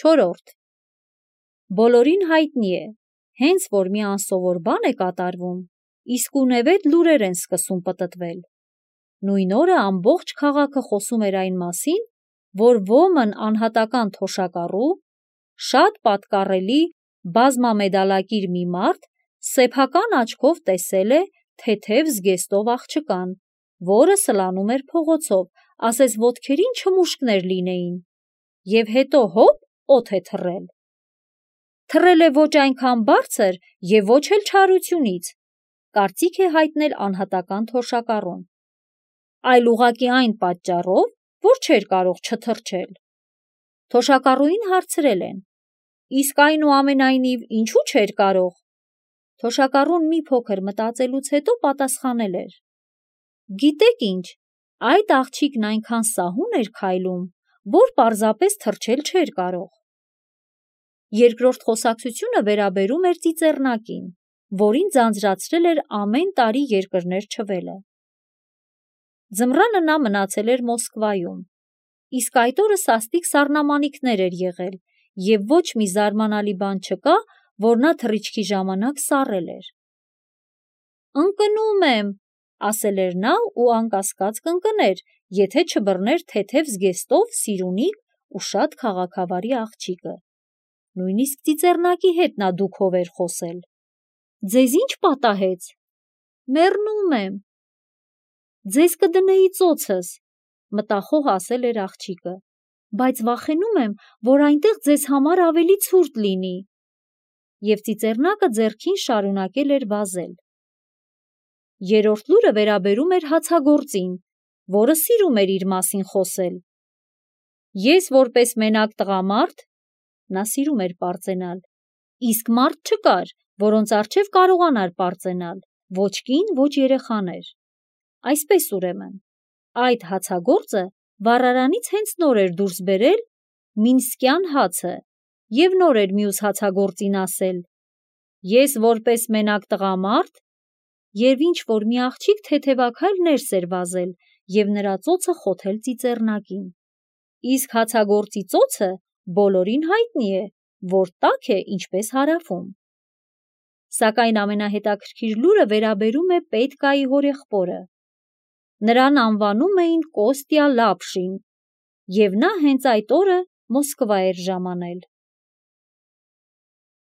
4. Բոլորին հայտնի է, հենց որ մի անսովոր բան է կատարվում, իսկունևեթ լուրեր են սկսում պտտվել։ Նույն օրը ամբողջ քաղաքը խոսում էր այն մասին, որ ոմն անհատական թոշակառու, շատ պատկառելի բազմամեդալակիր մի մարդ սեփական աչքով տեսել է թեթև զգեստով աղջկան, որը սլանում էր փողոցով, ասես ոտքերին չմուշկներ լինեին, և հետո հոպ օդ է թռել։ Թռել է ոչ այնքան բարձր և ոչ էլ չարությունից, կարծիք է հայտնել անհատական թոշակառուն, այլ ուղղակի այն պատճառով, որ չէր կարող չթռչել։ Թոշակառուին հարցրել են. իսկ այնուամենայնիվ ինչու չէր կարող։ Թոշակառուն մի փոքր մտածելուց հետո պատասխանել էր. գիտեք ինչ, այդ աղջիկն այնքան սահուն էր քայլում, որ պարզապես թռչել չէր կարող։ Երկրորդ խոսակցությունը վերաբերում էր ծիծեռնակին, որին ձանձրացրել էր ամեն տարի երկրներ չվելը։ Ձմռանը նա մնացել էր Մոսկվայում, իսկ այդ օրը սաստիկ սառնամանիքներ էր եղել, և ոչ մի զարմանալի բան չկա, որ նա թռիչքի ժամանակ սառել էր։ «Ընկնում եմ», ասել էր նա ու անկասկած կընկներ, եթե չբռներ թեթև զգեստով սիրունիկ ու շատ քաղաքավարի աղջիկը։ Նույնիսկ ծիծեռնակի հետ նա դուքով էր խոսել։ «Ձեզ ինչ պատահեց»։ «Մեռնում եմ»։ «Ձեզ կդնեի ծոցս», մտախոհ ասել էր աղջիկը, «բայց վախենում եմ, որ այնտեղ ձեզ համար ավելի ցուրտ լինի»։ Եվ ծիծեռնակը ձեռքին շարունակել էր վազել։ Երրորդ լուրը վերաբերում էր հացագործին, որը սիրում էր իր մասին խոսել։ Ես որպես մենակ տղամարդ, նա սիրում էր պարծենալ, իսկ մարդ չկար, որոնց առջև կարողանար պարծենալ, ոչ կին, ոչ երեխաներ։ Այսպես ուրեմն, այդ հացագործը վառարանից հենց նոր էր դուրս բերել մինսկյան հացը և նոր էր մյուս հացագործին ասել. ես որպես մենակ տղամարդ, և ինչ-որ մի աղջիկ թեթևաքայլ ներս էր վազել և նրա ծոցը խոթել ծիծեռնակին։ Իսկ հացագործի ծոցը բոլորին հայտնի է, որ տաք է ինչպես հարավում։ Սակայն ամենահետաքրքիր լուրը վերաբերում է Պետկայի հորեղբորը։ Նրան անվանում էին Կոստյա Լապշին, և նա հենց այդ օրը Մոսկվա էր ժամանել։